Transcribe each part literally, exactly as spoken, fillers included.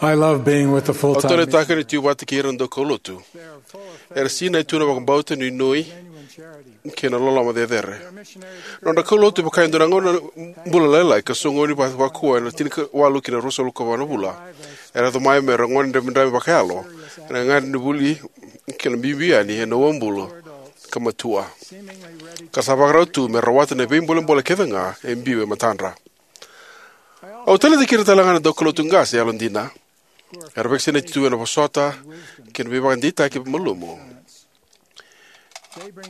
I love being with the full-time. Au taleitaka ni tu vata kei ira na daukaulotu. Era sinai tu na vakabauta, nuinui kei na loloma cecere. Nodra kaulotu e vaka e dua na gauna bula lailai ka soqoni va- vakua ena tinikawalu ki na ruasagavulu ka va na vula. Era yaco mai me ra gone dramidrami vakayalo ena gagadre ni vuli kei na biubiu yani ena uabulu ka matua, ka sa vakarau tu me rawata na veibolebole kece ga e biu e matadra. Au taleitaki ira tale ga na daukaulotu qase yalodina era vakasinaiti tu ena vosota kei na veivakadeitaki malumu.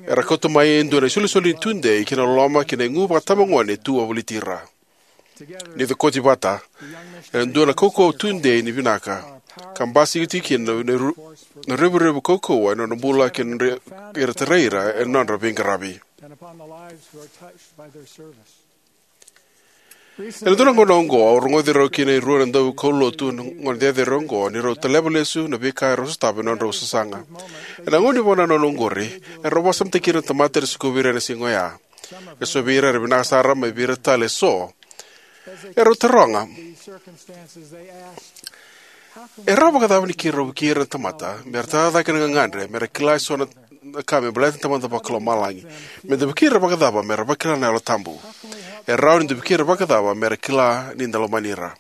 Era kauta mai e dua na isolisoli ni tudei kei na loloma kei na igu vakatabagone e tu wavoliti ira. Ni ra cokoti vata, e dua na kaukauwa tudei ni vinaka ka basika tiko kina na, na ru- na revurevu kaukauwa ena nodra bula kei na nodra, era tarai ira ena nodra veiqaravi. Ena dua na gauna oqo au rogoci rau kina e rua na daukaulotu na gone cecere oqo ni rau taleva lesu na veika erau sotava ena nodrau sasaga. Ena gauna ni vakanananu oqori, erau vakasamataki ira na tamata era sikovi ira ena siga oya. E so vei ira era vinaka sara mai vei ira tale e so. Erau taroga, e rawa vakacava ni keirau vukei ira na tamata me ra tara cake na gagadre me ra kila e so na, na ka me baleta na Tamada Vakalomalagi? Me da vukei ira vakacava me ra vakila na Yalo Tabu? E rawa ni da vukei ira vakacava me ra kila ni da lomani ira?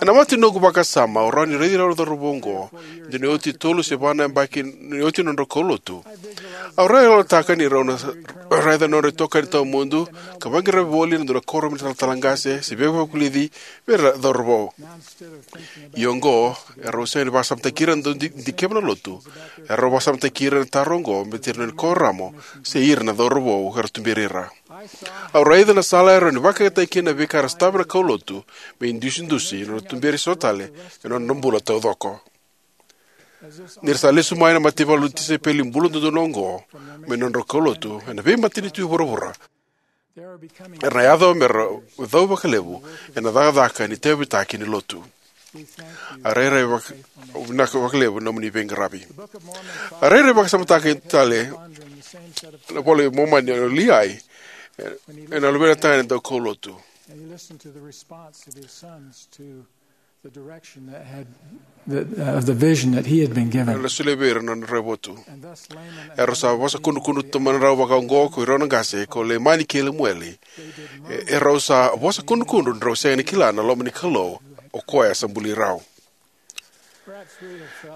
Ena mata ni noqu vakasama, au rawa ni raici rau na cauravou oqo, dua ni oti tolu se va na yabaki ni oti na nodrau kaulotu. Au rawa ni yalataka ni rau na raica na nodra itokani tawamudu ka vaqaravi voli ena dua na kuoramu ni talatala qase se veivakavulici vei ira na cauravou. Ia oqo, erau sega ni vakasamataki ira na dau di- dikeva na lotu. Erau vakasamataki ira na taro oqo me tira na kuoramu se ira na cauravou era tuberi ira. Au raica na sala e rawa ni vakayagataki kina na veika era sotava na kaulotu me idusidusi na nodra tuberi so tale ena nodra bula taucoko. Ni ra sa lesu mai na mataivalu ni tisaipeli bula dodonu oqo mai na nodra kaulotu ena veimatanitu e vuravura, era na yaco me ra cau vakalevu ena cakacaka ni tauyavutaki ni lotu. A rairai vaka- vinaka vakalevu na nomuni veiqaravi. A rairai vakasamataka tale na iVola i Momani o Liai ena luvena tagane daukaulotu. And he listened to the response of his sons to the direction that had, that, uh, of the vision that he had been given. Era na solia vei ira na nodra raivotu. And thus Laman and Era sa vosa kudrukudru tu mai na rau vaka oqo ko irau na qase ko Leimani kei Lemueli. E- Erau sa vosa kudrukudru ni rau sega ni kila na loma ni Kalou, o koya sa buli rau.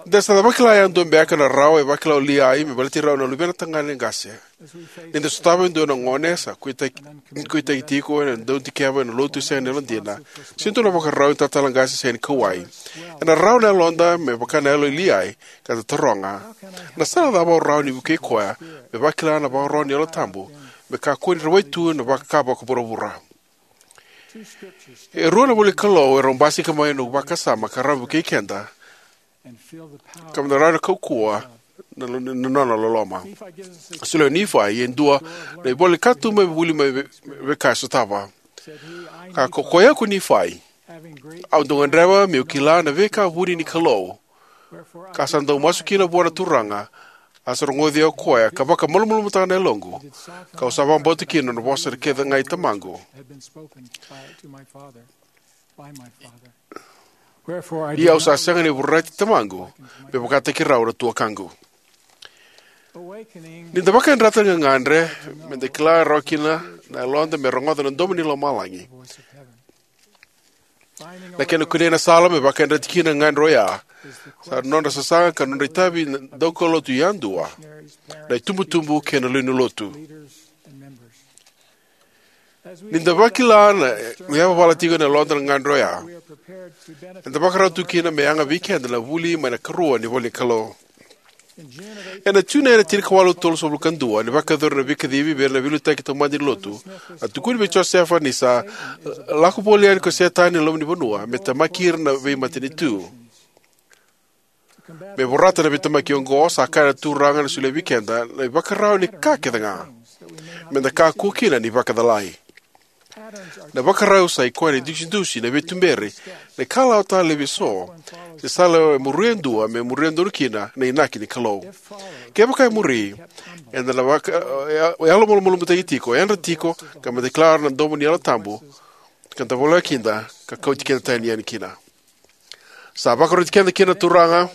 De sa vakila yadua beka na rawa e vakila o Liai me baleti rau na luvena tagane qase. Ni da sotava e dua na gone sa kuitaki, kuitaki tiko ena dau dikeva ena lotu sega ni yalodina, se dua na vakarau ni talatala qase sega ni kauwai, ena rawa na yaloda me vaka na yalo i Liai, ka da taroga, na sala cava au rawa ni vukei koya me vakila na vakarau ni Yalo Tabu me kakua ni rawai tu na vaka vakavuravura? E rua na ivola ni Kalou erau basika mai na noqu vakasama ka rawa me vukei keda ka me da rawa ni kaukauwa na, na nona loloma. Solia o Nifai e dua na ivola ni katuba me vuli mai ve- veika e sotava. Ka ko koya ko Nifai, au dau gadreva meu kila na veika vuni ni Kalou, ka sa dau masu kina vua na Turaga, a sa rogoci au o koya ka vakamalumalumutaka na yaloqu, kau sa vakabauta kina na vosa kece ga i tamaqu. Ia au sa sega ni vorati tamaqu me vakataki rau na tuakaqu. Ni da vakayadrata na gagadre, me da kila rawa kina na yaloda me rogoca na domo ni lomalagi. Na kena kunei na sala me vakayadrati kina na gagadre oya sa nodra sasaga ka nodra itavi na daukaulotu yadua, na itubutubu kei na lewe ni lotu. Ni da vakila na yavavala tiko na yaloda na gagadre oya, eda vakarau tu kina me yaga vei keda na vuli mai na ikarua ni ivola ni Kalou. Ena June ena tinikawalu tolusagavulu ka dua, ni vakayacori na veikacivi vei ira na veiliutaki taumada ni lotu, a tukuni vei Josefa ni sa lako voli yani ko Setani ena loma ni vanua me temaki ira na veimatanitu. Me vorata na veitemaki oqo, sa kaya na Turaga na solia vei keda na ivakarau ni ka kece ga me da kakua kina ni vakacalai. Na ivakarau sa i koya na idusidusi, na veituberi, na ikalawa talei eso, se sala e muri e dua me muria donu kina na inaki ni Kalou. Kevaka e muri, eda na vaka- e- e- yalomalumalumutaki tiko, yadra tiko, ka me da kila na domo ni Yalo Tabu, ka da voleka kina ka kauti keda tani yani kina. Sa vakaroti keda kina na Turaga.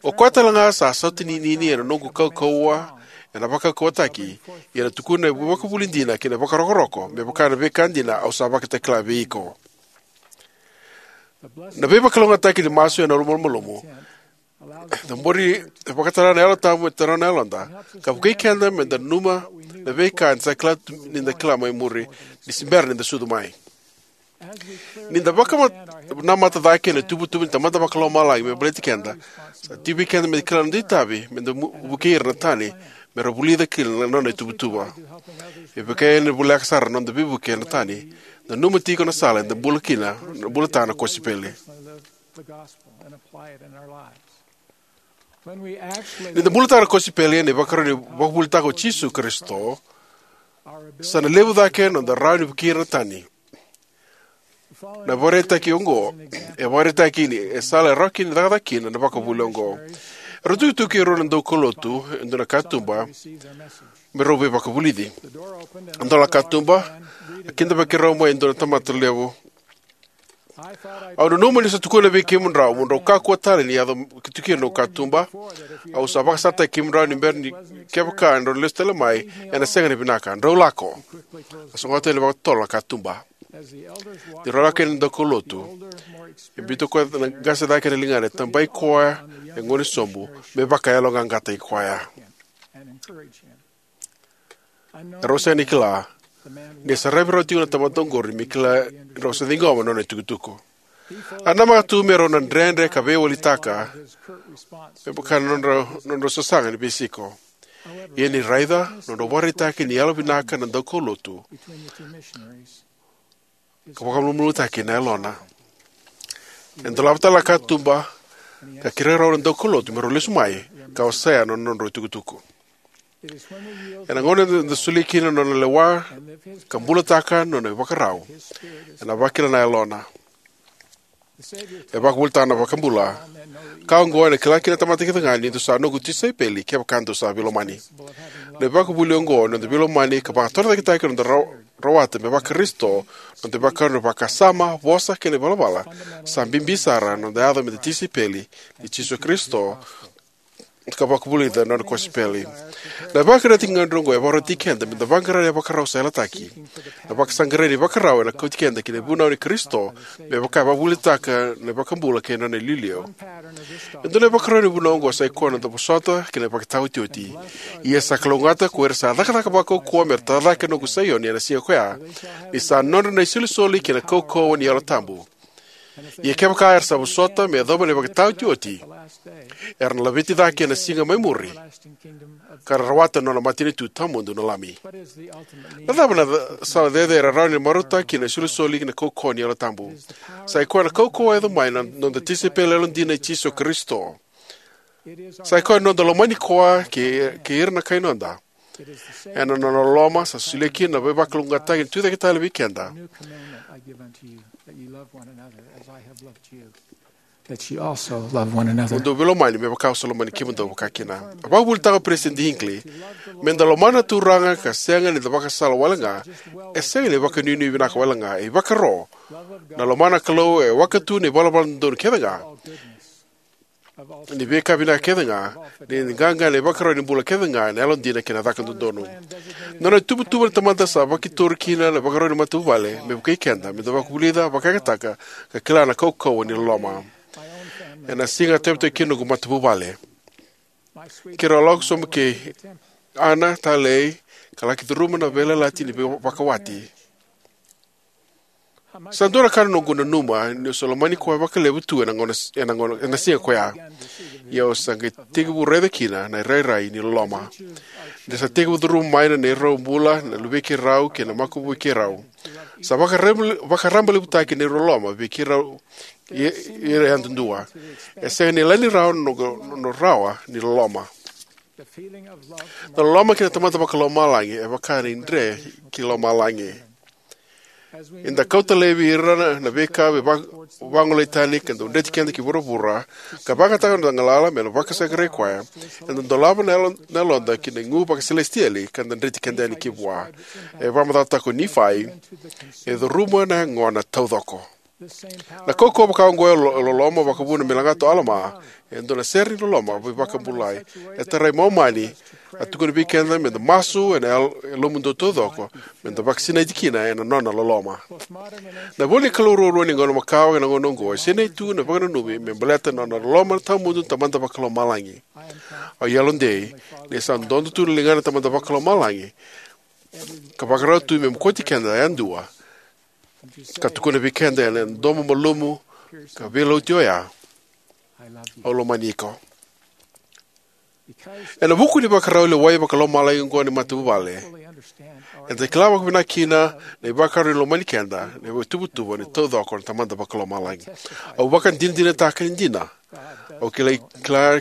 O koya talega sa sautaninini ena noqu kaukauwa ena vakaukauwataki, ia ena tukuna na ivakavuvuli dina kei na vakarokoroko, me vaka na veika dina au sa vakatakila vei iko. Na veivakalougatataki ni masu ena yalomalumalumu, na bori e vakatara na Yalo Tabu me taura na yaloda, ka vukei keda me da nanuma na veika eda sa kila tu, ni da kila mai muri, ni se bera ni da sucu mai. Ni da vakanamata cake ena ituvatuva ni Tamada Vakalomalagi me baleti keda, sa tiko vei keda me da kila na noda itavi me da mu-, vukei ira na tani me ra vulica kina na nona ituvatuva. E vaka yani na voleka sara na noda veivuke na tani, nanuma tiko na sala eda bula kina, na bulataka na kosipeli. Ni da bulataka na kosipeli ena ivakarau ni vakavuvulitaka o Jisu Karisito, sa na levu cake na noda rawa ni vukei ira na tani. Na ivakaraitaki oqo e vakaraitaka ni e sala e rawa kina ni cakacaka kina na ivakavuvuli oqo. Erau tukituki e rua na daukaulotu e dua na katuba me rau veivakavulici. A dola na katuba, a kidavaki rau mai e dua na tamata levu. Au nanuma niu sa tukuna vei kemudrau mo drau kakua tale ni yaco ki tukuna na katuba. Au sa vakasalataki kemudrau ni bera ni kevaka drau lesu tale mai, ena sega ni vinaka. Drau lako. A sogota yani vakatotolo na katuba. Ni rau lako yani na daukaulotu, e biuta o koya na qase cake ena ligana, e tabai koya e gone sobu me vakayaloqaqataki koya. Rau sega ni kila ni a saravi rau tiko na tamata oqori me kila ni rau sa ciqoma na nona itukutuku. A namaka tu me rau na dredre ka veiwalitaka me vaka na nodra, nodra sasaga ni veisiko. Ia ni raica na nodra vakaraitaki ni yalovinaka na daukaulotu, ka vakamalumalumutaki na yalona. E dolava tale na katuba, ka kerea rau na daukaulotu me rau lesu mai ka wasea na nodrau itukutuku. Ena gauna eda solia kina na nona lewa ka bulataka na nona ivakarau, ena vakila na yalona. E vakavuvulitaka na iVakabula: Ka oqo ena kila kina na tamata kecega ni dou sa noqu tisaipeli, kevaka dou sa veilomani. Na ivakavuvuli oqo ni noda veilomani ka vakatorocaketaki na noda ra-, rawata me vaKarisito, na noda ivakarau ni vakasama, vosa kei na ivalavala, sa bibi sara ena noda yaco me da tisaipeli i Jisu Karisito ka vakavulica na nona kosipeli. Na ivakaraitaki gagadre oqo e vakarautaki keda me da vaqara na ivakarau sa yalataki, na vakasaqarai ni ivakarau ena kauti keda ki na ivunau i Karisito, me vaka e vakavuvulitaka na iVakabula kei na nona iliuliu. E dua na ivakarau ni vunau oqo sa ikoya na noda vosota kei na ivakataotioti: Ia sa kalougata ko ira sa cakacaka vakaukauwa me ra tara cake na noqu Saioni ena siga ko ya, ni sa nodra na isolisoli kei na kaukauwa ni Yalo Tabu. Ia kevaka era sa vosota me yacova na ivakataotioti, era na laveti cake ena siga mai muri, ka ra rawata na nona matanitu tawamudu na Lami. Na cava na ca-, sala cecere e rawa ni marautaka kina na isolisoli kei na kaukauwa ni Yalo Tabu? Sa ikoya na kaukauwa e yaco mai na noda tisaipeli yalodina i Jisu Karisito. Sa ikoya na noda lomani koya kei, kei ira na kai noda. Ena nona loloma sa solia kina na veivakalougatataki ni tucake tale vei keda: That ye also love one another. Mo dou veilomani me vaka au sa lomani kemudou vakakina. A vakavuvulitaka o Peresitedi Hinckley: Me da lomana na Turaga ka sega ni da vakasala wale ga, e sega ni vakanuinui vinaka wale ga, e ivakaro. Na lomana na Kalou e waka tu ena ivalavala dodonu kecega, ni veika vinaka kecega, ni qaqa ena ivakarau ni bula kecega, ena yalodina kei na caka dodonu. Na nona ituvatuva na Tamada sa vakitori kina na ivakarau ni matavuvale me vukei keda me da vakavulica, vakayagataka, ka kila na kaukauwa ni loloma. Ena siga a tauyavutaki kina na noqu matavuvale, keirau a lako sobu kei Ana, talei, ka laki curuma na veiyalayalati ni vei-, vakawati. Sa dua na ka na noqu nanuma niu sa lomani koya vakalevu tu ena gauna, ena gauna, ena siga ko ya. Ia au sa qai tekivu raica kina na irairai ni loloma. Ni sa tekivu curuma mai na neirau bula na luvei keirau kei na makubui keirau, sa vakarab-, vakarabailevutaki na neirau loloma vei keirau, i-, ira yadudua. E sega ni yalani rawa na noqu, na rawa ni loloma. Na loloma kei na Tamada Vakalomalagi e vaka na idre ki lomalagi. Eda kauta laivi ira na, na veika me va-, vagolei tani ka dau dreti keda ki vuravura, ka vakayagataka na noda galala me na vakasaqarai koya. Eda dolava na yalo-, na yaloda ki na igu vakaselesitieli ka da dreti keda yani ki vua. E vakamacalataka o Nifai, e curuma na yagona taucoko. Na kaukauwa vaka oqo e lo- loloma vakavuna me lagata o Alama, e dua na sere ni loloma veivakabulai. E tarai Momani, a tukuna vei keda me da masu ena yal- yalomudou taucoko, me da vakasinaiti kina ena nona loloma. Na ivola ni Kalou ruarua ni gauna makawa ena gauna oqo e sinai tu na vakananumi me baleta na nona loloma tawamudu na Tamada Vakalomalagi. Au yalodei ni sa dodo tu na ligana na Tamada Vakalomalagi ka vakarau tu me mokoti keda yadua, ka tukuna vei keda ena domo malumu ka veilauti oya, "Au lomani iko." Ena vuku ni vakarau lewai vakalomalagi oqo ni matavuvale, eda kila vakavinaka kina na ivakaro ni lomani keda na ituvatuva ni taucoko na Tamada Vakalomalagi. Au vakadinadinataka ni dina. Au kila, kila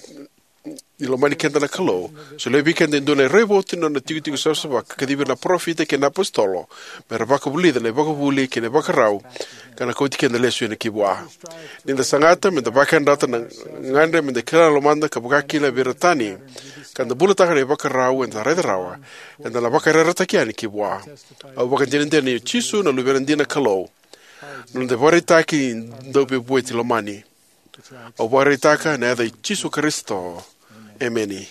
ni lomani keda na Kalou. Solia vei keda e dua na raivotu ni nona tikotiko savasava ka kacivi ira na parofita kei na apositolo me ra vakavulica na ivakavuvuli kei na ivakarau ka na kauti keda lesu yani ki vua. Ni da sagata me da vakayadrata na gadre me da kila na lomada ka vaka kina vei ira tani, ka da bulataka na ivakarau eda raica rawa, eda na vakayarayarataki yani ki vua. Au vakadinadina ni o Jisu na Luvena dina na Kalou, na noda ivakaraitaki ni Dauveivueti lomani. Au vakaraitaka ena yaca i Jisu Karisito. Emeni.